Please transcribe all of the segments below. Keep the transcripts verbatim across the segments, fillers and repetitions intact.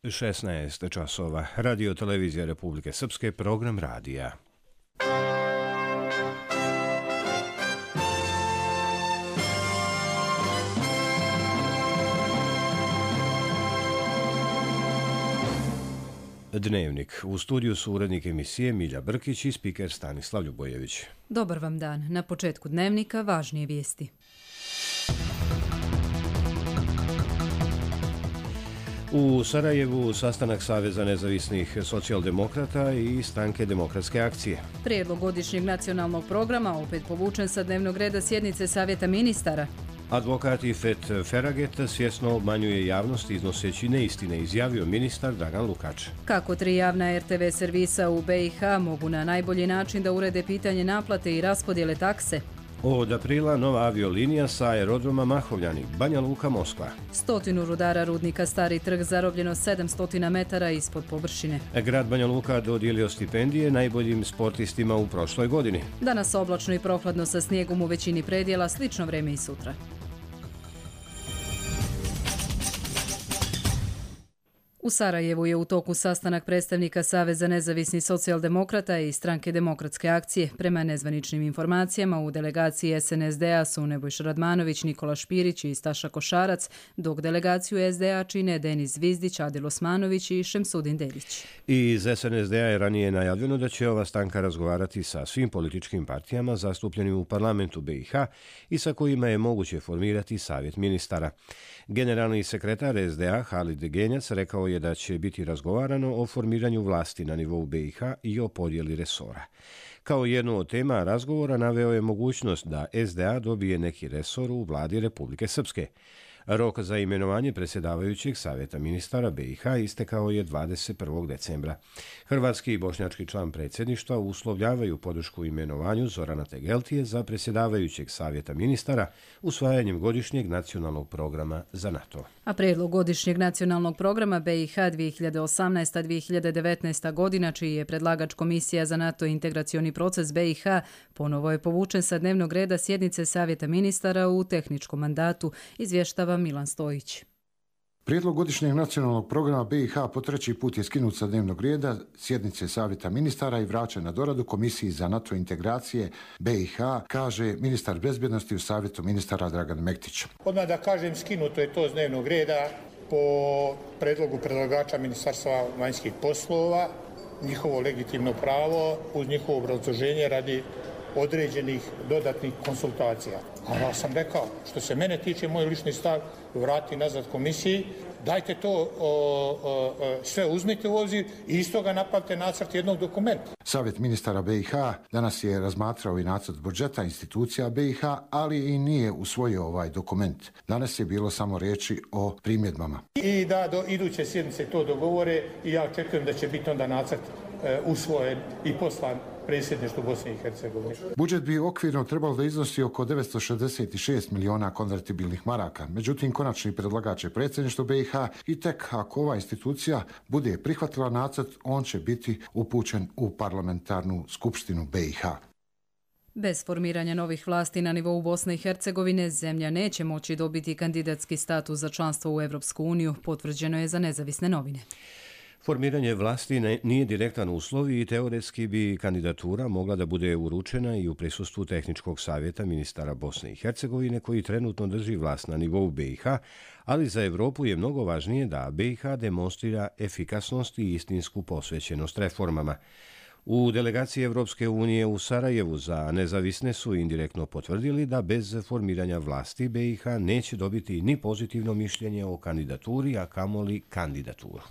šesnaest časova. Radio televizija Republike Srpske, program radija. Dnevnik. U studiju su urednik emisije Milja Brkić i spiker Stanislav Ljubojević. Dobar vam dan. Na početku dnevnika važnije vijesti. U Sarajevu sastanak Saveza nezavisnih socijaldemokrata i Stranke demokratske akcije. Prijedlog godišnjeg nacionalnog programa opet povučen sa dnevnog reda sjednice Savjeta ministara. Advokat Ifet Feraget svjesno obmanjuje javnost iznoseći neistine, izjavio ministar Dragan Lukač. Kako tri javna er te ve servisa u be i ha mogu na najbolji način da urede pitanje naplate i raspodjele takse? Od aprila nova aviolinija sa aerodroma Mahovljani, Banja Luka, Moskva. Stotinu rudara rudnika Stari trg zarobljeno sedamsto metara ispod površine. Grad Banja Luka dodijelio stipendije najboljim sportistima u prošloj godini. Danas oblačno i prohladno sa snijegom u većini predjela, slično vreme i sutra. U Sarajevu je u toku sastanak predstavnika Saveza nezavisnih socijaldemokrata i Stranke demokratske akcije. Prema nezvaničnim informacijama u delegaciji es en es de a su Nebojša Radmanović, Nikola Špirić i Staša Košarac, dok delegaciju es de a čine Denis Zvizdić, Adil Osmanović i Šemsudin Delić. Iz es en es de a je ranije najavljeno da će ova stanka razgovarati sa svim političkim partijama zastupljenim u parlamentu be i ha i sa kojima je moguće formirati savjet ministara. Generalni sekretar es de a Halid Genjac rekao je da će biti razgovarano o formiranju vlasti na nivou be i ha i o podjeli resora. Kao jednu od tema razgovora naveo je mogućnost da es de a dobije neki resor u vladi Republike Srpske. Rok za imenovanje predsjedavajućeg savjeta ministara be i ha istekao je dvadeset prvog decembra. Hrvatski i bošnjački član predsjedništva uslovljavaju podršku imenovanju Zorana Tegeltije za predsjedavajućeg savjeta ministara usvajanjem godišnjeg nacionalnog programa za NATO. A prijedlog godišnjeg nacionalnog programa be i ha dvije hiljade osamnaesta do dvije hiljade devetnaesta godina, čiji je predlagač Komisija za NATO integracioni proces be i ha, ponovo je povučen sa dnevnog reda sjednice savjeta ministara u tehničkom mandatu, izvještava Milan Stojić. Prijedlog godišnjeg nacionalnog programa be i ha po treći put je skinut sa dnevnog reda sjednice savjeta ministara i vraćen na doradu Komisiji za NATO integracije be i ha, kaže ministar bezbjednosti u savjetu ministara Dragan Mektić. Odmah da kažem, skinuto je to s dnevnog reda po predlogu predlagača Ministarstva vanjskih poslova, njihovo legitimno pravo uz njihovo obrazloženje radi određenih dodatnih konsultacija. A ja sam rekao, što se mene tiče, moj lični stav, vrati nazad komisiji, dajte to o, o, o, sve uzmite u obzir i iz toga napravite nacrt jednog dokumenta. Savjet ministara be i ha danas je razmatrao i nacrt budžeta institucija be i ha, ali i nije usvojio ovaj dokument. Danas je bilo samo riječi o primjedbama. I da do iduće sjednice to dogovore i ja očekujem da će biti onda nacrt e, usvojen i poslan predsjedništvu Bosne i Hercegovine. Budžet bi okvirno trebalo da iznosi oko devetsto šezdeset šest miliona konvertibilnih maraka. Međutim, konačni predlagač je predsjedništvo be i ha i tek ako ova institucija bude prihvatila nacrt, on će biti upućen u parlamentarnu skupštinu be i ha. Bez formiranja novih vlasti na nivou Bosne i Hercegovine, zemlja neće moći dobiti kandidatski status za članstvo u Evropsku uniju, potvrđeno je za Nezavisne novine. Formiranje vlasti nije direktan uslov i teoretski bi kandidatura mogla da bude uručena i u prisustvu tehničkog savjeta ministara Bosne i Hercegovine koji trenutno drži vlast na nivou be i ha, ali za Evropu je mnogo važnije da be i ha demonstrira efikasnost i istinsku posvećenost reformama. U delegaciji Evropske unije u Sarajevu za nezavisne su indirektno potvrdili da bez formiranja vlasti be i ha neće dobiti ni pozitivno mišljenje o kandidaturi, a kamoli kandidaturu.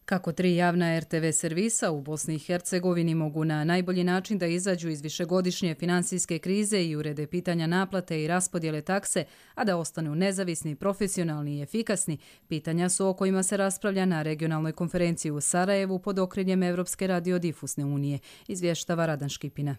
Kako tri javna er te ve servisa u Bosni i Hercegovini mogu na najbolji način da izađu iz višegodišnje finansijske krize i urede pitanja naplate i raspodjele takse, a da ostanu nezavisni, profesionalni i efikasni, pitanja su o kojima se raspravlja na regionalnoj konferenciji u Sarajevu pod okriljem Evropske radiodifusne unije, izvještava Radan Škipina.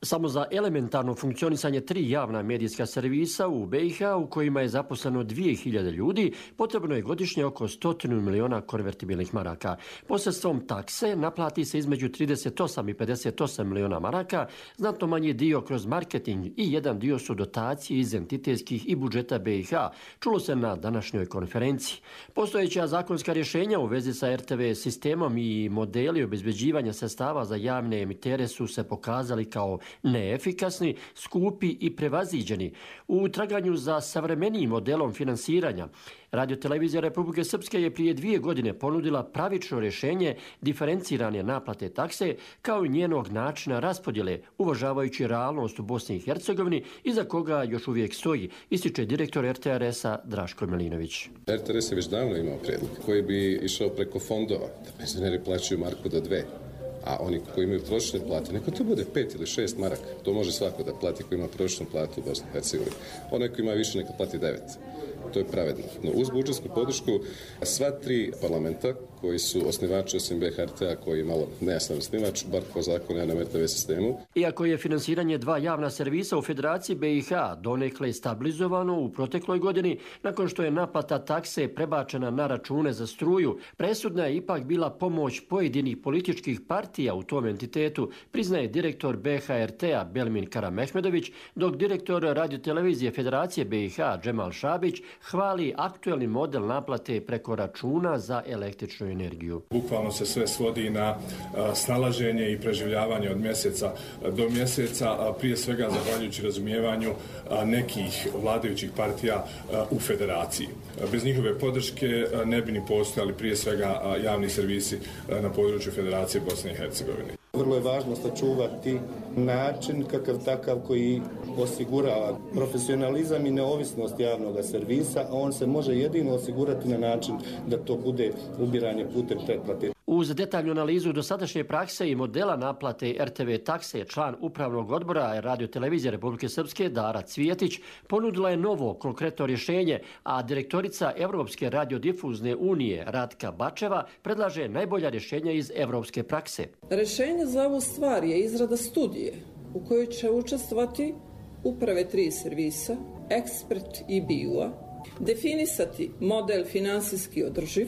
Samo za elementarno funkcionisanje tri javna medijska servisa u B i H u kojima je zaposleno dvije hiljade ljudi potrebno je godišnje oko sto miliona konvertibilnih maraka. Posredstvom takse naplati se između trideset osam i pedeset osam miliona maraka, znatno manji dio kroz marketing i jedan dio su dotacije iz entitetskih i budžeta B i H, čulo se na današnjoj konferenciji. Postojeća zakonska rješenja u vezi sa R T V sistemom i modeli obezbeđivanja sredstava za javne emitere su se pokazali kao neefikasni, skupi i prevaziđeni. U traganju za savremenijim modelom finansiranja, Radiotelevizija Republike Srpske je prije dvije godine ponudila pravično rješenje diferencirane naplate takse kao i njenog načina raspodjele, uvažavajući realnost u Bosni i Hercegovini, iza koga još uvijek stoji, ističe direktor R T R S-a Draško Milinović. R T R S je već davno imao prijedlog koji bi išao preko fondova, da penzioneri plaćaju marku do dve. A oni koji imaju prosječne plate, neko to bude pet ili šest maraka. To može svako da plati koji ima prosječnu platu u Bosni i Hercegovini. Onaj koji ima više neka plati devet. To je pravedno. No, uz budžetsku podršku sva tri parlamenta koji su osnivači osim B H R T-a koji je malo nejasan osnivač, bar po zakonu na R T V sistemu. Iako je finansiranje dva javna servisa u Federaciji B i H donekle stabilizovano u protekloj godini, nakon što je naplata takse prebačena na račune za struju, presudna je ipak bila pomoć pojedinih političkih partija u tom entitetu, priznaje direktor B H R T-a Belmin Karamehmedović, dok direktor Radiotelevizije Federacije B i H Džemal Šabić hvali aktuelni model naplate preko računa za električnu energiju. Bukvalno se sve svodi na snalaženje i preživljavanje od mjeseca do mjeseca, prije svega zahvaljujući razumijevanju nekih vladajućih partija u federaciji. Bez njihove podrške ne bi ni postojali prije svega javni servisi na području Federacije Bosne i Hercegovine. Vrlo je važno sačuvati način kakav takav koji osigurava profesionalizam i neovisnost javnog servisa, a on se može jedino osigurati na način da to bude ubiranje putem pretplate. Uz detaljnu analizu dosadašnje prakse i modela naplate R T V takse, član upravnog odbora Radiotelevizije Republike Srpske Dara Cvijetić ponudila je novo konkretno rješenje, a direktorica Evropske radiodifuzne unije Ratka Bačeva predlaže najbolja rješenja iz evropske prakse. Rješenje za ovu stvar je izrada studije u kojoj će učestvovati uprave tri servisa, ekspert i B I U-a, definisati model finansijski održiv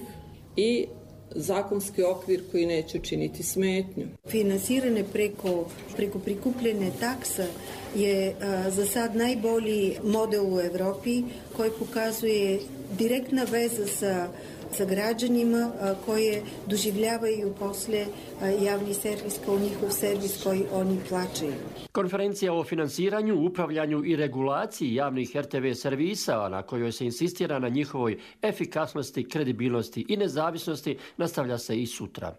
i zakonski okvir koji neće činiti smetnju. Finansiranje preko, preko prikupljene takse je a, za sad najbolji model u Evropi koji pokazuje direktna veza sa, sa građanima a, koje doživljavaju posle a, javni servis kao njihov servis koji oni plaćaju. Konferencija o finansiranju, upravljanju i regulaciji javnih R T V servisa, na kojoj se insistira na njihovoj efikasnosti, kredibilnosti i nezavisnosti, nastavlja se i sutra.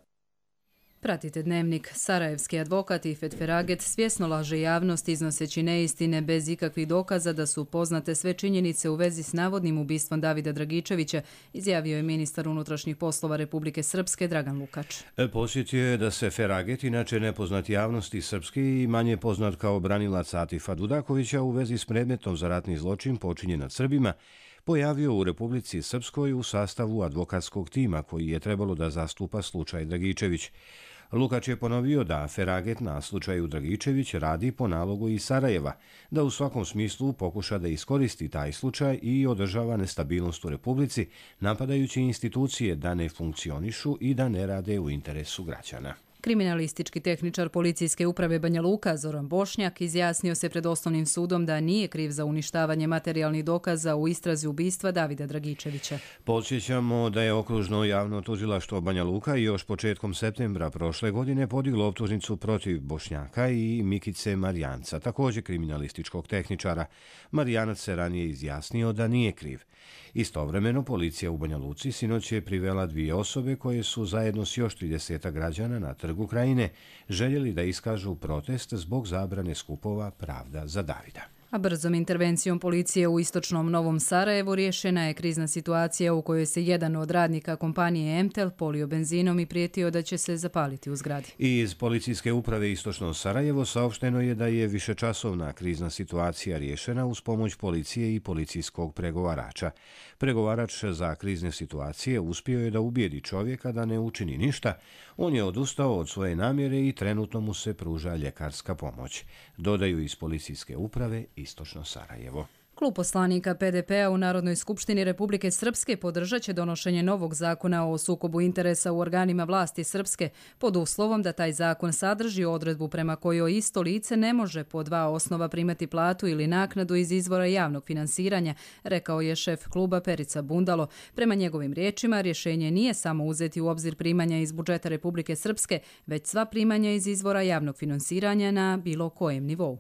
Pratite Dnevnik. Sarajevski advokat Ifet Feraget svjesno laže javnost iznoseći neistine bez ikakvih dokaza da su poznate sve činjenice u vezi s navodnim ubistvom Davida Dragičevića, izjavio je ministar unutrašnjih poslova Republike Srpske Dragan Lukač. Posjetio je da se Feraget, inače nepoznat javnosti srpski i manje poznat kao branilac Atifa Dudakovića u vezi s predmetom za ratni zločin počinjen nad Srbima, pojavio u Republici Srpskoj u sastavu advokatskog tima koji je trebalo da zastupa slučaj Dragičević. Lukač je ponovio da Feraget na slučaju Dragičević radi po nalogu iz Sarajeva, da u svakom smislu pokuša da iskoristi taj slučaj i održava nestabilnost u Republici, napadajući institucije da ne funkcionišu i da ne rade u interesu građana. Kriminalistički tehničar policijske uprave Banja Luka Zoran Bošnjak izjasnio se pred osnovnim sudom da nije kriv za uništavanje materijalnih dokaza u istrazi ubistva Davida Dragičevića. Podsjećamo da je okružno javno tužilaštvo Banja Luka još početkom septembra prošle godine podiglo optužnicu protiv Bošnjaka i Mikice Marijanca, također kriminalističkog tehničara. Marijanac se ranije izjasnio da nije kriv. Istovremeno, policija u Banja Luci sinoć je privela dvije osobe koje su zajedno s još trideset građana na Trgu Krajine željeli da iskažu protest zbog zabrane skupova Pravda za Davida. A brzom intervencijom policije u istočnom Novom Sarajevu riješena je krizna situacija u kojoj se jedan od radnika kompanije Emtel polio benzinom i prijetio da će se zapaliti u zgradi. I iz policijske uprave Istočno Sarajevo saopšteno je da je višečasovna krizna situacija riješena uz pomoć policije i policijskog pregovarača. Pregovarač za krizne situacije uspio je da ubijedi čovjeka da ne učini ništa. On je odustao od svoje namjere i trenutno mu se pruža ljekarska pomoć. Dodaju iz policijske uprave Istočno Sarajevo. Klub poslanika P D P-a u Narodnoj skupštini Republike Srpske podržat će donošenje novog zakona o sukobu interesa u organima vlasti Srpske pod uslovom da taj zakon sadrži odredbu prema kojoj isto lice ne može po dva osnova primati platu ili naknadu iz izvora javnog finansiranja, rekao je šef kluba Perica Bundalo. Prema njegovim riječima, rješenje nije samo uzeti u obzir primanja iz budžeta Republike Srpske, već sva primanja iz izvora javnog finansiranja na bilo kojem nivou.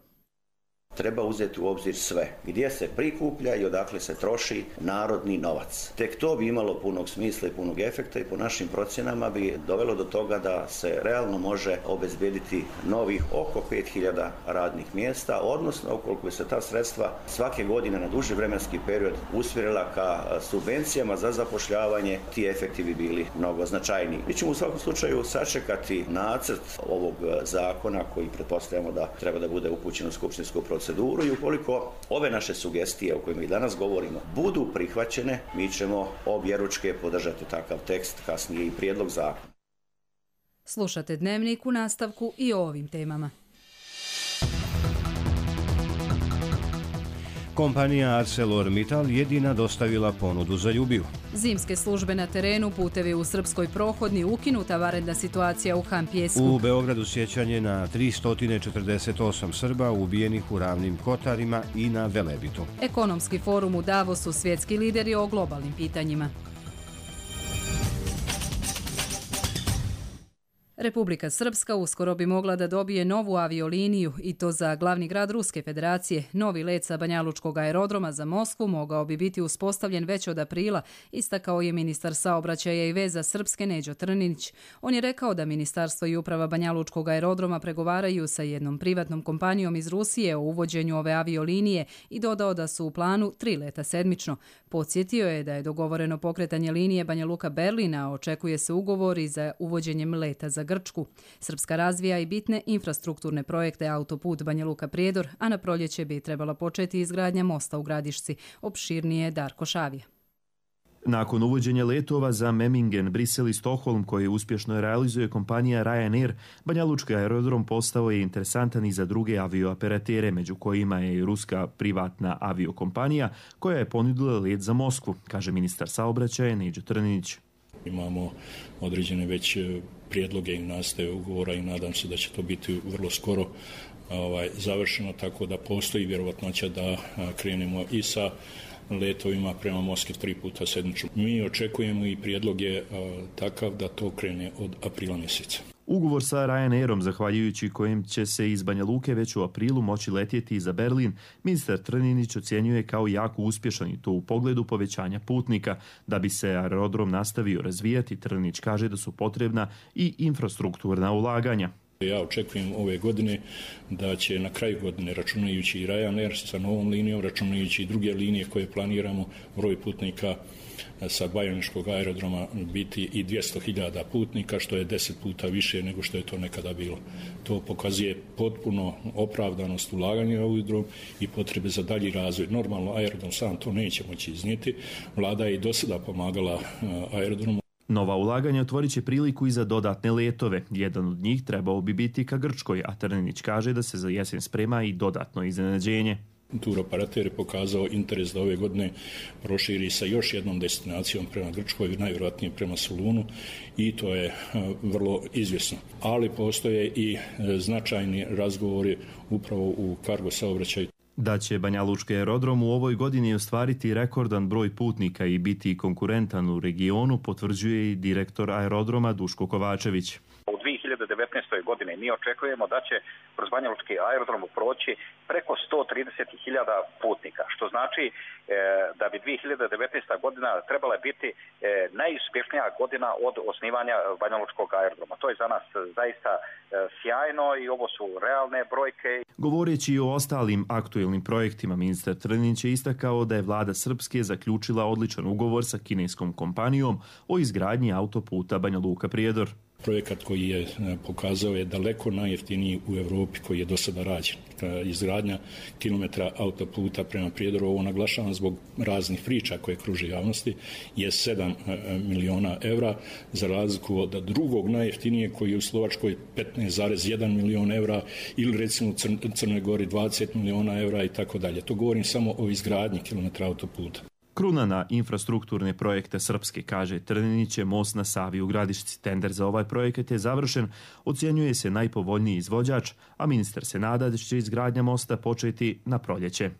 Treba uzeti u obzir sve, gdje se prikuplja i odakle se troši narodni novac. Tek to bi imalo punog smisla i punog efekta i po našim procjenama bi dovelo do toga da se realno može obezbediti novih oko pet hiljada radnih mjesta, odnosno ukoliko bi se ta sredstva svake godine na duži vremenski period usmjerila ka subvencijama za zapošljavanje, ti efekti bi bili mnogo značajniji. Mi ćemo u svakom slučaju sačekati nacrt ovog zakona koji pretpostavljamo da treba da bude upućen u skupštinsku proceduru. I ukoliko ove naše sugestije o kojima i danas govorimo budu prihvaćene, mi ćemo objeručke podržati takav tekst, kasnije i prijedlog zakona. Slušate Dnevnik u nastavku i o ovim temama. Kompanija ArcelorMittal jedina dostavila ponudu za Ljubiju. Zimske službe na terenu, putevi u Srpskoj prohodni, ukinuta vanredna situacija u Han Pjesku. U Beogradu sjećanje na tristo četrdeset osam Srba ubijenih u Ravnim Kotarima i na Velebitu. Ekonomski forum u Davosu, svjetski lideri o globalnim pitanjima. Republika Srpska uskoro bi mogla da dobije novu avioliniju i to za glavni grad Ruske federacije. Novi let sa Banjalučkog aerodroma za Moskvu mogao bi biti uspostavljen već od aprila, istakao je ministar saobraćaja i veza Srpske Neđo Trninić. On je rekao da ministarstvo i uprava Banjalučkog aerodroma pregovaraju sa jednom privatnom kompanijom iz Rusije o uvođenju ove aviolinije i dodao da su u planu tri leta sedmično. Podsjetio je da je dogovoreno pokretanje linije Banja Luka-Berlina, a očekuje se ugovor i za uvođenjem leta za Grčku. Srpska razvija i bitne infrastrukturne projekte autoput Banja Luka-Prijedor, a na proljeće bi trebala početi izgradnja mosta u Gradišci. Opširnije Darko Šavija. Nakon uvođenja letova za Memmingen, Brisel i Stockholm koje uspješno realizuje kompanija Ryanair, Banjalučki aerodrom postao je interesantan i za druge aviooperatere, među kojima je i ruska privatna aviokompanija koja je ponudila let za Moskvu, kaže ministar saobraćaja Neđo Trninić. Imamo određene već prijedloge i nastaje ugovora i nadam se da će to biti vrlo skoro ovaj, završeno, tako da postoji vjerovatnoća da krenemo i sa letovima prema Moskvi tri puta sedmično. Mi očekujemo i prijedlog je takav da to krene od aprila mjeseca. Ugovor sa Ryanairom, zahvaljujući kojim će se iz Banja Luke već u aprilu moći letjeti za Berlin, ministar Trninić ocjenjuje kao jako uspješan i to u pogledu povećanja putnika. Da bi se aerodrom nastavio razvijati, Trninić kaže da su potrebna i infrastrukturna ulaganja. Ja očekujem ove godine da će na kraju godine, računajući i Ryanair sa novom linijom, računajući i druge linije koje planiramo, broj putnika sa Bajaniškog aerodroma biti i dvjesto hiljada putnika, što je deset puta više nego što je to nekada bilo. To pokazuje potpuno opravdanost ulaganja u aerodrom i potrebe za dalji razvoj. Normalno, aerodrom sam to neće moći iznijeti. Vlada je i do sada pomagala aerodromu. Nova ulaganja otvorit će priliku i za dodatne letove. Jedan od njih trebao bi biti ka Grčkoj, a Trninić kaže da se za jesen sprema i dodatno iznenađenje. Turoperater je pokazao interes da ove godine proširi sa još jednom destinacijom prema Grčkoj, najvjerojatnije prema Solunu, i to je vrlo izvjesno. Ali postoje i značajni razgovori upravo u kargo saobraćaju. Da će Banjalučki aerodrom u ovoj godini ostvariti rekordan broj putnika i biti konkurentan u regionu, potvrđuje i direktor aerodroma Duško Kovačević. U dvije hiljade devetnaestoj. godine mi očekujemo da će kroz Banjalučki aerodrom proći preko sto trideset hiljada putnika, što znači e, da bi dvije hiljade devetnaesta godina trebala biti e, najuspješnija godina od osnivanja Banjalučkog aerodroma. To je za nas zaista e, sjajno i ovo su realne brojke. Govoreći i o ostalim aktuelnim projektima, ministar Trninić je istakao da je vlada Srpske zaključila odličan ugovor sa kineskom kompanijom o izgradnji autoputa Banja Luka-Prijedor. Projekat koji je pokazao je daleko najjeftiniji u Europi koji je do sada rađen. Izgradnja kilometra autoputa prema Prijedoru, ovo naglašavam zbog raznih priča koje kruže javnosti, je sedam miliona evra, za razliku od drugog najjeftinijeg koji je u Slovačkoj petnaest zarez jedan milion evra ili recimo u Crnoj Gori dvadeset miliona evra i tako dalje. To govorim samo o izgradnji kilometra autoputa. Kruna na infrastrukturne projekte Srpske, kaže Trninić, je most na Savi u Gradišci. Tender za ovaj projekat je završen, ocjenjuje se najpovoljniji izvođač, a ministar se nada da će izgradnja mosta početi na proljeće.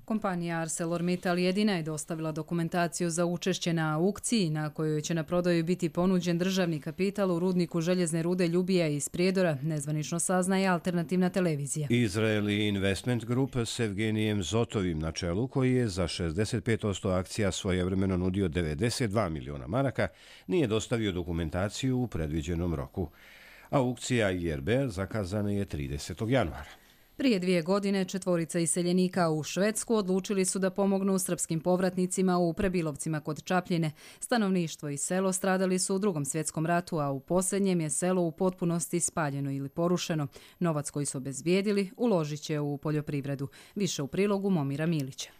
Kompanija ArcelorMittal jedina je dostavila dokumentaciju za učešće na aukciji na kojoj će na prodaju biti ponuđen državni kapital u rudniku željezne rude Ljubija iz Prijedora, nezvanično saznaje alternativna televizija. Izraeli Investment Group s Evgenijem Zotovim na čelu, koji je za šezdeset pet posto akcija svojevremeno nudio devedeset dva miliona maraka, nije dostavio dokumentaciju u predviđenom roku. Aukcija I R B zakazana je tridesetog januara. Prije dvije godine četvorica iseljenika u Švedsku odlučili su da pomognu srpskim povratnicima u Prebilovcima kod Čapljine. Stanovništvo i selo stradali su u Drugom svjetskom ratu, a u posljednjem je selo u potpunosti spaljeno ili porušeno. Novac koji su obezbijedili uložit će u poljoprivredu. Više u prilogu Momira Milića.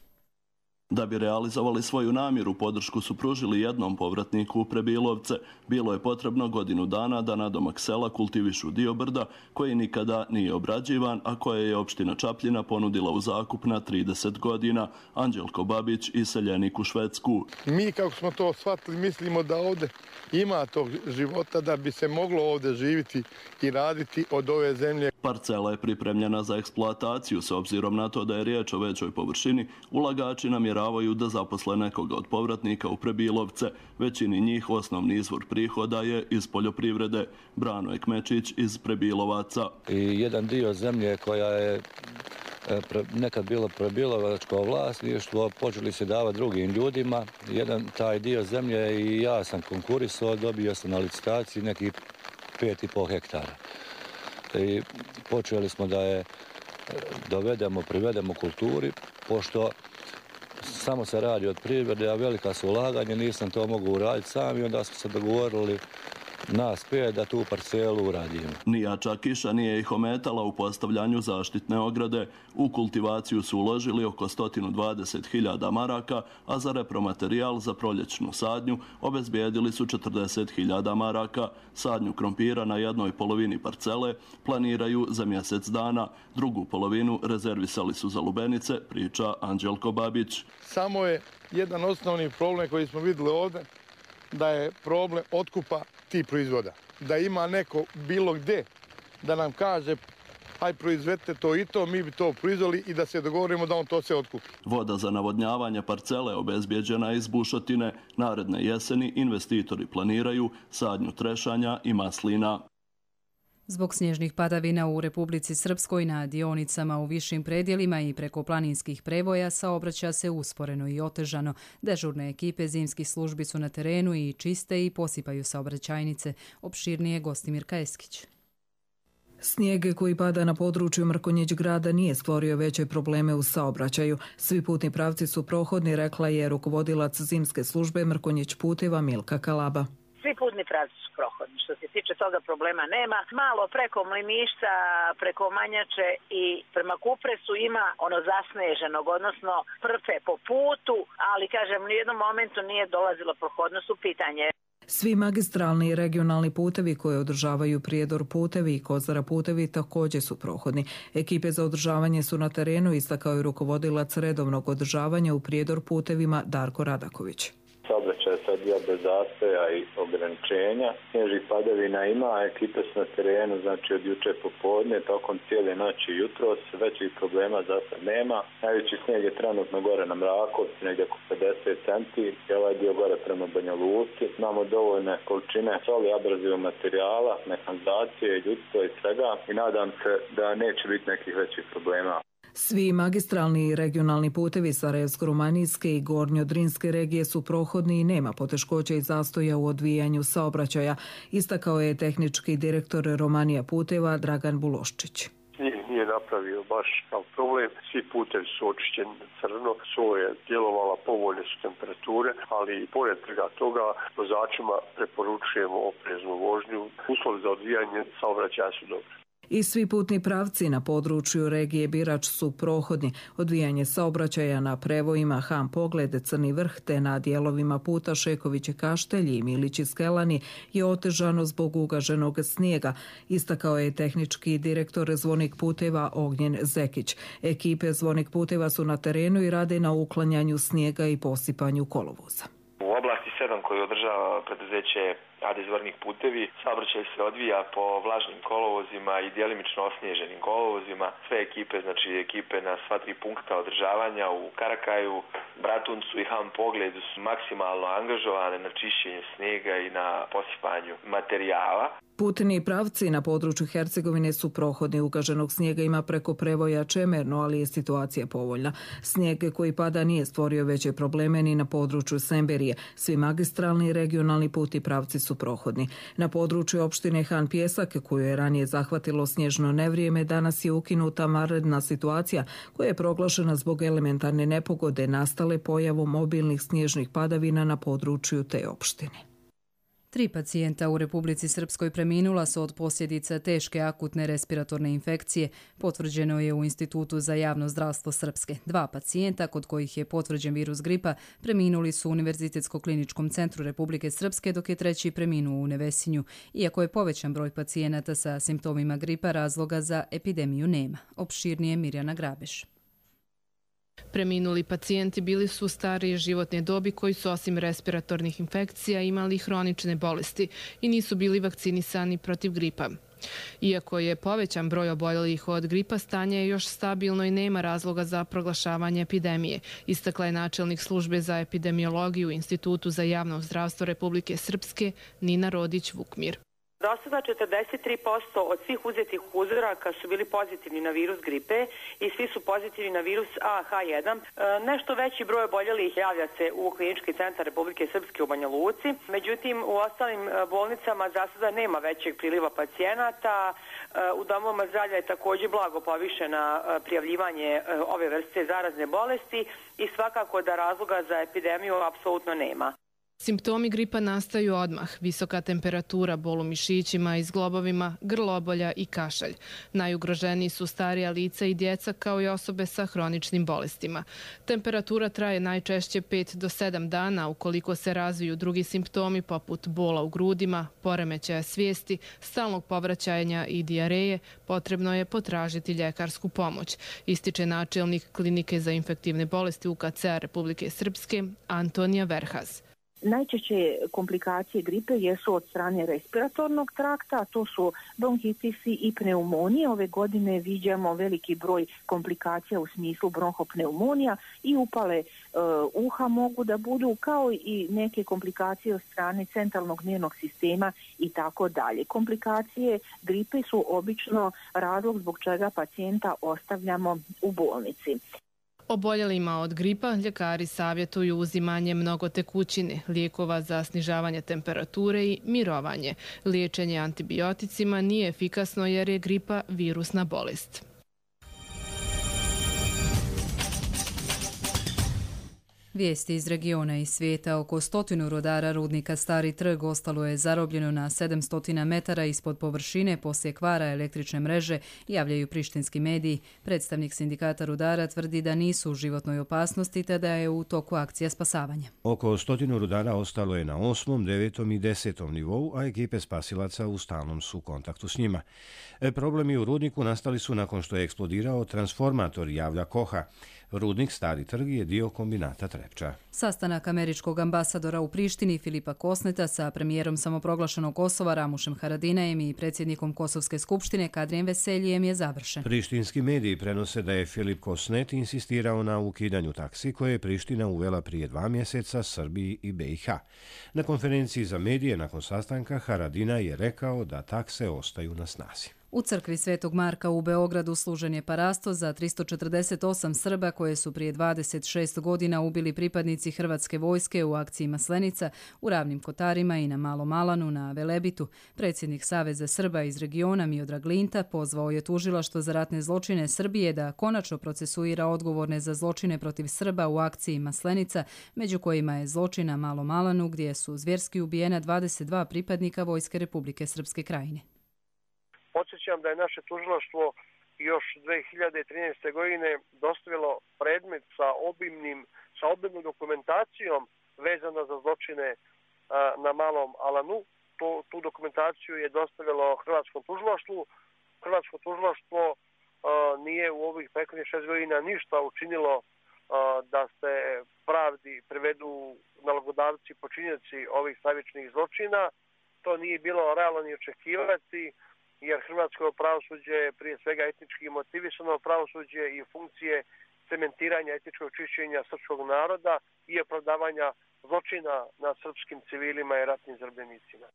Da bi realizovali svoju namjeru, podršku su pružili jednom povratniku u Prebilovce. Bilo je potrebno godinu dana da nadomak sela kultivišu dio brda koji nikada nije obrađivan, a koje je opština Čapljina ponudila u zakup na trideset godina. Anđelko Babić, iseljenik u Švedsku. Mi, kako smo to shvatili, mislimo da ovdje ima tog života, da bi se moglo ovdje živjeti i raditi od ove zemlje. Parcela je pripremljena za eksploataciju. S obzirom na to da je riječ o većoj površini, ulagači namjeravaju da zaposle nekoga od povratnika u Prebilovce. Većini njih osnovni izvor prihoda je iz poljoprivrede. Brano Ekmečić iz Prebilovaca. I jedan dio zemlje koja je nekad bilo prebilovačko vlasništvo, počeli se davati drugim ljudima. Jedan taj dio zemlje i ja sam konkurisao, dobio sam na licitaciji nekih pet i pol hektara. I počeli smo da je dovedemo, privedemo kulturi, pošto samo se radi od privrede, a velika su ulaganja, nisam to mogu uraditi sam i onda smo se dogovorili nas pet da tu parcelu uradimo. Nijača kiša nije ih ometala u postavljanju zaštitne ograde. U kultivaciju su uložili oko sto dvadeset hiljada maraka, a za repromaterijal za proljećnu sadnju obezbijedili su četrdeset hiljada maraka. Sadnju krompira na jednoj polovini parcele planiraju za mjesec dana. Drugu polovinu rezervisali su za lubenice, priča Anđelko Babić. Samo je jedan osnovni problem koji smo vidjeli ovdje, da je problem otkupa tih proizvoda. Da ima neko bilo gdje da nam kaže aj proizvedite to i to, mi bi to proizveli i da se dogovorimo da on to sve otkupi. Voda za navodnjavanje parcele obezbijeđena iz bušotine. Naredne jeseni investitori planiraju sadnju trešanja i maslina. Zbog snježnih padavina u Republici Srpskoj na dionicama u višim predjelima i preko planinskih prevoja saobraća se usporeno i otežano. Dežurne ekipe zimskih službi su na terenu i čiste i posipaju saobraćajnice. Opširnije Gostimir Kajeskić. Snijeg koji pada na području Mrkonjić grada nije stvorio veće probleme u saobraćaju. Svi putni pravci su prohodni, rekla je rukovodilac zimske službe Mrkonjić puteva Milka Kalaba. Svi putni pravci su prohodni. Što se tiče toga problema nema. Malo preko Mliništa, preko Manjače i prema Kupresu ima ono zasneženog, odnosno prfe po putu, ali kažem, u jednom momentu nije dolazilo prohodnost u pitanje. Svi magistralni i regionalni putevi koje održavaju Prijedor putevi i Kozara putevi također su prohodni. Ekipe za održavanje su na terenu, istakao je rukovodilac redovnog održavanja u Prijedor putevima Darko Radaković. Saobraćaj je sad diobe zastoja i ograničenja. Snježnih padavina ima, a ekipe su na terenu, znači od juče popodne, tokom cijele noći i jutros, većih problema za sad nema. Najveći snijeg je trenutno gore na Mrakovcu, negdje oko pedeset centi, i ovaj dio gore prema Banja Luci. Imamo dovoljne količine soli, abrazivnog materijala, mehanizacije, ljudstva i svega i nadam se da neće biti nekih većih problema. Svi magistralni i regionalni putevi Sarajevsko-Rumanijske i Gornjodrinske regije su prohodni i nema poteškoća i zastoja u odvijanju saobraćaja, istakao je tehnički direktor Romanija puteva Dragan Buloščić. Nije, nije napravio baš kao problem. Svi putevi su očišćeni crno, soja je djelovala, povoljne su temperature, ali i pored toga vozačima preporučujemo opreznu vožnju. Uslovi za odvijanje saobraćaja su dobri. I svi putni pravci na području regije Birač su prohodni. Odvijanje saobraćaja na prevojima Ham Pogled, Crni vrh te na dijelovima puta Šekovići Kaštelji i Milići Skelani je otežano zbog ugaženog snijega, istakao je tehnički direktor Zvonik puteva Ognjen Zekić. Ekipe Zvonik puteva su na terenu i rade na uklanjanju snijega i posipanju kolovoza. U oblasti sedam koju održava preduzeće A D Zvornik putevi, saobraćaj se odvija po vlažnim kolovozima i djelimično osnježenim kolovozima. Sve ekipe, znači ekipe na sva tri punkta održavanja u Karakaju, Bratuncu i Ham Pogledu su maksimalno angažovane na čišćenju snijega i na posipanju materijala. Putni pravci na području Hercegovine su prohodni. Ugaženog snijega ima preko prevoja Čemerno, ali je situacija povoljna. Snijeg koji pada nije stvorio veće probleme ni na području Semberije. Svi magistralni i regionalni putni pravci su prohodni. Na području opštine Han Pjesak, koju je ranije zahvatilo snježno nevrijeme, danas je ukinuta vanredna situacija koja je proglašena zbog elementarne nepogode nastale pojavom mobilnih snježnih padavina na području te opštine. Tri pacijenta u Republici Srpskoj preminula su od posljedica teške akutne respiratorne infekcije, potvrđeno je u Institutu za javno zdravstvo Srpske. Dva pacijenta kod kojih je potvrđen virus gripa preminuli su u Univerzitetsko-kliničkom centru Republike Srpske, dok je treći preminuo u Nevesinju. Iako je povećan broj pacijenata sa simptomima gripa, razloga za epidemiju nema. Opširnije Mirjana Grabeš. Preminuli pacijenti bili su starije životne dobi koji su osim respiratornih infekcija imali hronične bolesti i nisu bili vakcinisani protiv gripa. Iako je povećan broj oboljelih od gripa, stanje je još stabilno i nema razloga za proglašavanje epidemije, istakla je načelnik službe za epidemiologiju u Institutu za javno zdravstvo Republike Srpske Nina Rodić-Vukmir. Do sada četrdeset tri posto od svih uzetih uzoraka su bili pozitivni na virus gripe i svi su pozitivni na virus A H jedan. Nešto veći broj oboljelih javlja se u Klinički centar Republike Srpske u Banja Luci. Međutim, u ostalim bolnicama za sada nema većeg priliva pacijenata. U domovima zdravlja je također blago povišena prijavljivanje ove vrste zarazne bolesti i svakako da razloga za epidemiju apsolutno nema. Simptomi gripa nastaju odmah, visoka temperatura, bol u mišićima i zglobovima, grlobolja i kašalj. Najugroženiji su starija lica i djeca kao i osobe sa hroničnim bolestima. Temperatura traje najčešće pet do sedam dana ukoliko se razviju drugi simptomi poput bola u grudima, poremećaja svijesti, stalnog povraćanja i dijareje, potrebno je potražiti ljekarsku pomoć, ističe načelnik Klinike za infektivne bolesti U K C-a Republike Srpske Antonija Verhas. Najčešće komplikacije gripe jesu od strane respiratornog trakta, a to su bronhitisi i pneumonije. Ove godine viđamo veliki broj komplikacija u smislu bronhopneumonija i upale e, uha mogu da budu, kao i neke komplikacije od strane centralnog nervnog sistema i tako dalje. Komplikacije gripe su obično razlog zbog čega pacijenta ostavljamo u bolnici. Oboljelima od gripa ljekari savjetuju uzimanje mnogo tekućine, lijekova za snižavanje temperature i mirovanje. Liječenje antibioticima nije efikasno jer je gripa virusna bolest. Vijesti iz regiona i svijeta. Oko stotinu rudara rudnika Stari trg ostalo je zarobljeno na sedamsto metara ispod površine poslije kvara električne mreže, javljaju prištinski mediji. Predstavnik sindikata rudara tvrdi da nisu u životnoj opasnosti te da je u toku akcija spasavanja. Oko stotinu rudara ostalo je na osmom, devetom i desetom nivou, a ekipe spasilaca u stalnom su kontaktu s njima. Problemi u rudniku nastali su nakon što je eksplodirao transformator, javlja Koha. Rudnik Stari trg je dio kombinata Trepča. Sastanak američkog ambasadora u Prištini Filipa Kosneta sa premijerom samoproglašenog Kosova Ramušem Haradinajem i predsjednikom Kosovske skupštine Kadrijem Veseljijem je završen. Prištinski mediji prenose da je Filip Kosnet insistirao na ukidanju taksi koje je Priština uvela prije dva mjeseca Srbiji i B i H. Na konferenciji za medije nakon sastanka Haradinaj je rekao da takse ostaju na snazi. U crkvi Svetog Marka u Beogradu služen je parasto za tristo četrdeset osam Srba koje su prije dvadeset šest godina ubili pripadnici Hrvatske vojske u akciji Maslenica u Ravnim Kotarima i na Malom Alanu na Velebitu. Predsjednik Saveza Srba iz regiona Miodrag Linta pozvao je tužilaštvo za ratne zločine Srbije da konačno procesuira odgovorne za zločine protiv Srba u akciji Maslenica, među kojima je zločin na Malom Alanu gdje su zvjerski ubijena dvadeset dva pripadnika Vojske Republike Srpske Krajine. Podsjećam da je naše tužilaštvo još dve hiljade trinaeste. godine dostavilo predmet sa obimnim, sa obimnom dokumentacijom vezano za zločine a, na Malom Alanu. To, tu dokumentaciju je dostavilo Hrvatskom tužilaštvu. Hrvatsko tužilaštvo a, nije u ovih prethodnih šest godina ništa učinilo a, da se pravdi privedu nalogodavci, počinioci ovih stravičnih zločina. To nije bilo realno ni očekivati, jer hrvatsko pravosuđe je prije svega etnički motivisano pravosuđe i funkcije cementiranja etničkog čišćenja srpskog naroda i opravdavanja zločina nad srpskim civilima i ratnim zarobljenicima.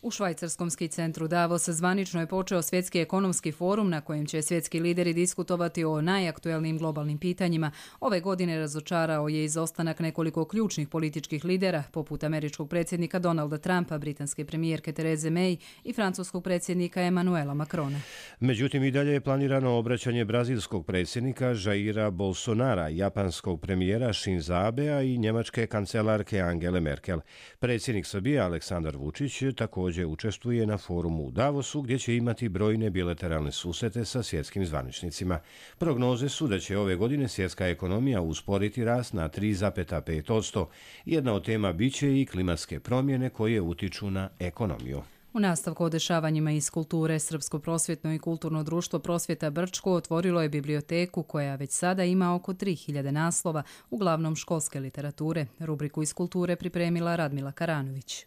U švajcarskom ski centru Davos zvanično je počeo svjetski ekonomski forum na kojem će svjetski lideri diskutovati o najaktuelnijim globalnim pitanjima. Ove godine razočarao je izostanak nekoliko ključnih političkih lidera, poput američkog predsjednika Donalda Trumpa, britanske premijerke Therese May i francuskog predsjednika Emmanuela Macrona. Međutim, i dalje je planirano obraćanje brazilskog predsjednika Jaira Bolsonara, japanskog premijera Shinza Abea i njemačke kancelarke Angele Merkel. Predsjednik Srbije Aleksandar Vučić također učestvuje na forumu u Davosu gdje će imati brojne bilateralne susrete sa svjetskim zvaničnicima. Prognoze su da će ove godine svjetska ekonomija usporiti rast na tri zarez pet posto. Jedna od tema biće i klimatske promjene koje utiču na ekonomiju. U nastavku o dešavanjima iz kulture, Srpsko prosvjetno i kulturno društvo Prosvjeta Brčko otvorilo je biblioteku koja već sada ima oko tri hiljade naslova, uglavnom školske literature. Rubriku iz kulture pripremila Radmila Karanović.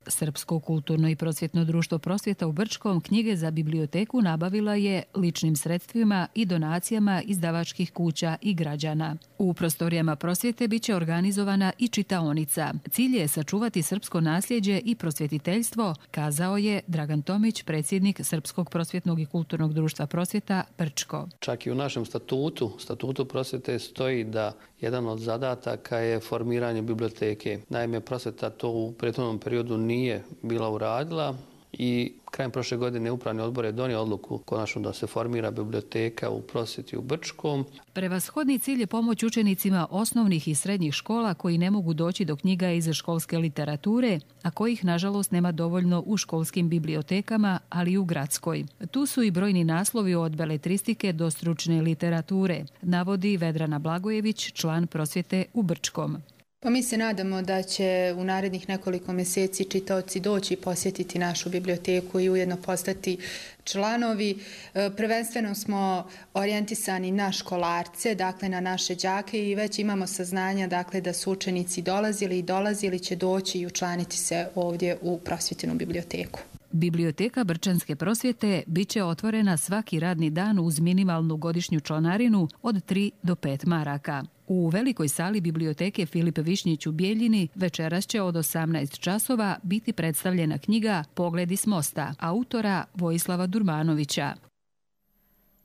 Srpsko kulturno i prosvjetno društvo Prosvjeta u Brčkom knjige za biblioteku nabavila je ličnim sredstvima i donacijama izdavačkih kuća i građana. U prostorijama Prosvjete biće organizovana i čitaonica. Cilj je sačuvati srpsko nasljeđe i prosvjetiteljstvo, kazao je Dragan Tomić, predsjednik Srpskog prosvjetnog i kulturnog društva Prosvjeta Brčko. Čak i u našem statutu, statutu Prosvjete stoji da jedan od zadataka je formiranje biblioteke. Naime, Prosvjeta to u prethodnom periodu nije bila uradila i krajem prošle godine Upravni odbor je donio odluku konačno da se formira biblioteka u Prosvjeti u Brčkom. Prevashodni cilj je pomoć učenicima osnovnih i srednjih škola koji ne mogu doći do knjiga iz školske literature, a kojih nažalost nema dovoljno u školskim bibliotekama, ali i u gradskoj. Tu su i brojni naslovi od beletristike do stručne literature, navodi Vedrana Blagojević, član Prosvjete u Brčkom. Pa mi se nadamo da će u narednih nekoliko mjeseci čitaoci doći i posjetiti našu biblioteku i ujedno postati članovi. Prvenstveno smo orijentisani na školarce, dakle na naše đake i već imamo saznanja dakle, da su učenici dolazili i dolazili će doći i učlaniti se ovdje u prosvjetenu biblioteku. Biblioteka Brčanske prosvjete bit će otvorena svaki radni dan uz minimalnu godišnju članarinu od tri do pet maraka. U velikoj sali biblioteke Filip Višnjić u Bijeljini večeras će od osamnaest časova biti predstavljena knjiga Pogledi s mosta, autora Vojislava Durmanovića.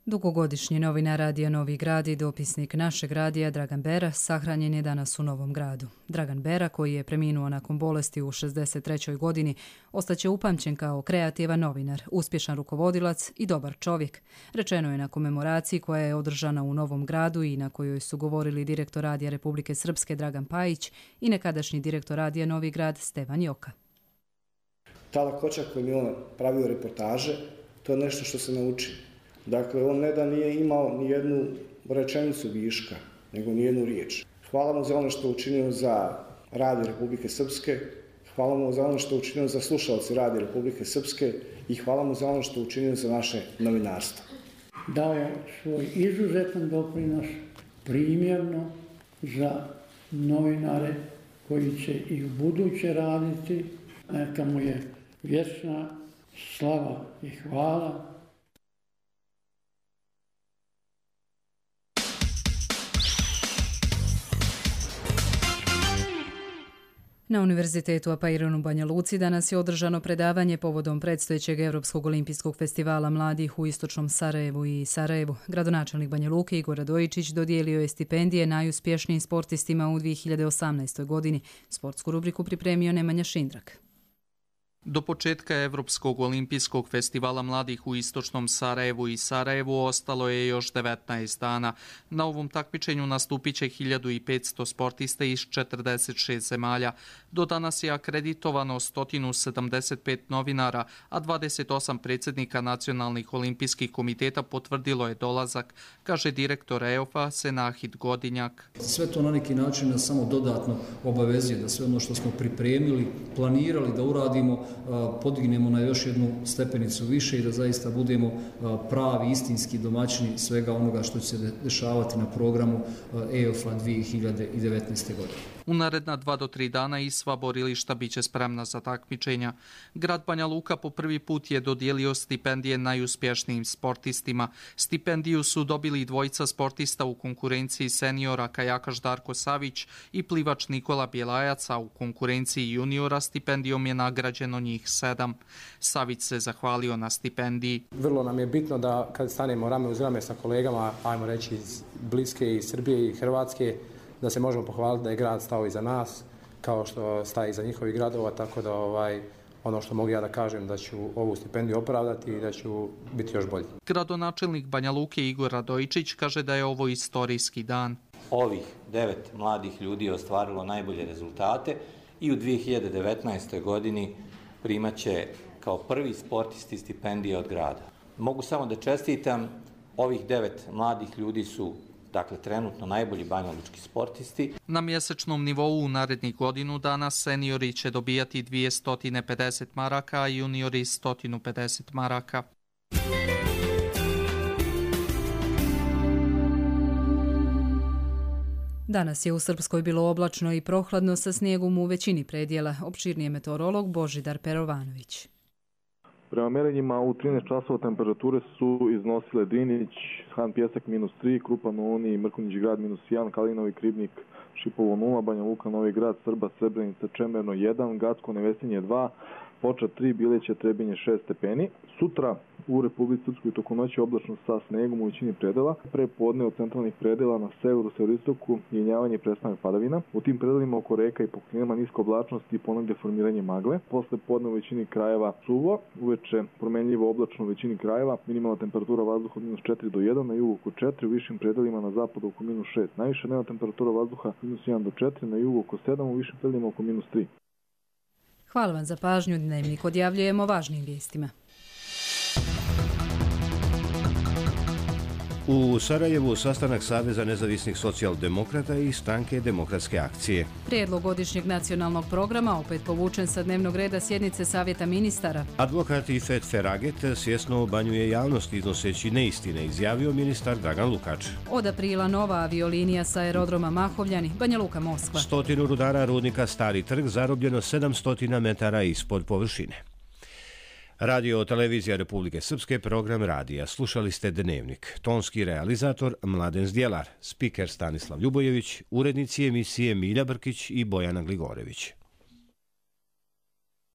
Dugogodišnji novinar Radija Novi Grad i dopisnik našeg radija Dragan Bera sahranjen je danas u Novom Gradu. Dragan Bera, koji je preminuo nakon bolesti u šezdeset trećoj godini, ostaće upamćen kao kreativan novinar, uspješan rukovodilac i dobar čovjek. Rečeno je na komemoraciji koja je održana u Novom Gradu i na kojoj su govorili direktor Radija Republike Srpske Dragan Pajić i nekadašnji direktor Radija Novi Grad Stevan Joka. Ta lakoća kojom je on pravio reportaže, to je nešto što se nauči. Dakle, on ne da nije imao ni jednu rečenicu viška, nego ni jednu riječ. Hvala mu za ono što je učinio za Radio Republike Srpske, hvala mu za ono što je učinio za slušalce Radio Republike Srpske i hvala mu za ono što je učinio za naše novinarstvo. dao svoj izuzetan doprinos primjerno za novinare koji će i u buduće raditi. Neka mu je vječna slava i hvala. Na Univerzitetu Apairon u Banja Luci danas je održano predavanje povodom predstojećeg Europskog olimpijskog festivala mladih u istočnom Sarajevu i Sarajevu. Gradonačelnik Banja Luke Igor Radojičić dodijelio je stipendije najuspješnijim sportistima u dvije hiljade osamnaestoj. godini. Sportsku rubriku pripremio Nemanja Šindrak. Do početka Evropskog olimpijskog festivala mladih u istočnom Sarajevu i Sarajevu ostalo je još devetnaest dana. Na ovom takmičenju nastupit će hiljadu petsto sportista iz četrdeset šest zemalja. Do danas je akreditovano sto sedamdeset pet novinara, a dvadeset osam predsjednika nacionalnih olimpijskih komiteta potvrdilo je dolazak, kaže direktor E O F-a Senahid Godinjak. Sve to na neki način nas samo dodatno obavezuje da sve ono što smo pripremili, planirali da uradimo, podignemo na još jednu stepenicu više i da zaista budemo pravi, istinski domaćini svega onoga što će se dešavati na programu E O F-a dvije hiljade devetnaeste. godine. U naredna dva do tri dana i sva borilišta biće spremna za takmičenja. Grad Banja Luka po prvi put je dodijelio stipendije najuspješnijim sportistima. Stipendiju su dobili dvojica sportista u konkurenciji seniora kajakaš Darko Savić i plivač Nikola Bjelajac, a u konkurenciji juniora stipendijom je nagrađeno njih sedam. Savić se zahvalio na stipendiji. Vrlo nam je bitno da kad stanemo rame uz rame sa kolegama, ajmo reći iz Bliske, iz Srbije i Hrvatske, da se možemo pohvaliti da je grad stao iza nas, kao što staje iza njihovih gradova, tako da ovaj, ono što mogu ja da kažem da ću ovu stipendiju opravdati i da ću biti još bolji. Gradonačelnik Banja Luke Igor Radojičić kaže da je ovo istorijski dan. Ovih devet mladih ljudi je ostvarilo najbolje rezultate i u dvije hiljade devetnaestoj. godini primaće kao prvi sportisti stipendije od grada. Mogu samo da čestitam, ovih devet mladih ljudi su dakle trenutno najbolji banjalučki sportisti. Na mjesečnom nivou u narednih godinu dana seniori će dobijati dvjesto pedeset maraka, a juniori sto pedeset maraka. Danas je u Srpskoj bilo oblačno i prohladno sa snijegom u većini predjela. Opširnije meteorolog Božidar Perovanović. Prema merenjima u trinaest časova temperature su iznosile Drinić, Han Pjesak minus tri, Krupan u Uniji, Mrkonjić grad minus jedan, Kalinovi, Kribnik, Šipovo nula, Banja Luka, Novi grad, Srba, Srebrenica, Čemerno jedan, Gacko, Nevesinje dva, Poča tri, Bileće, Trebinje šest stepeni. Sutra u Republici Srpskoj tokom noći oblačno sa snegom u većini predela. Pre podne od centralnih predela na severu, severoistoku jenjavanje i prestanak padavina. U tim predelima oko reka i pokrinama niska oblačnost i ponegde formiranje magle. Posle podne u većini krajeva suvo, uveče promenljivo oblačno u većini krajeva. Minimalna temperatura vazduha od minus četiri do jedan, na jugu oko četiri, u višim predelima na zapadu oko minus šest. Najviša dnevna temperatura vazduha minus jedan do četiri, na jugu oko sedam, u višim predelima oko minus tri. Hvala vam za pažnju. Dnevnik odjavljujemo važnim vijestima. U Sarajevu sastanak Saveza nezavisnih socijaldemokrata i stranke Demokratske akcije. Prijedlog godišnjeg nacionalnog programa opet povučen sa dnevnog reda sjednice Savjeta ministara. Advokat Ifet Feraget svjesno obanjuje javnost iznoseći neistine, izjavio ministar Dragan Lukač. Od aprila nova aviolinija sa aerodroma Mahovljani, Banja Luka, Moskva. Stotinu rudara rudnika Stari trg zarobljeno sedamsto metara ispod površine. Radio televizija Republike Srpske, program radija. Slušali ste Dnevnik. Tonski realizator Mladen Zdjelar, spiker Stanislav Ljubojević, urednici emisije Milja Brkić i Bojana Gligorević.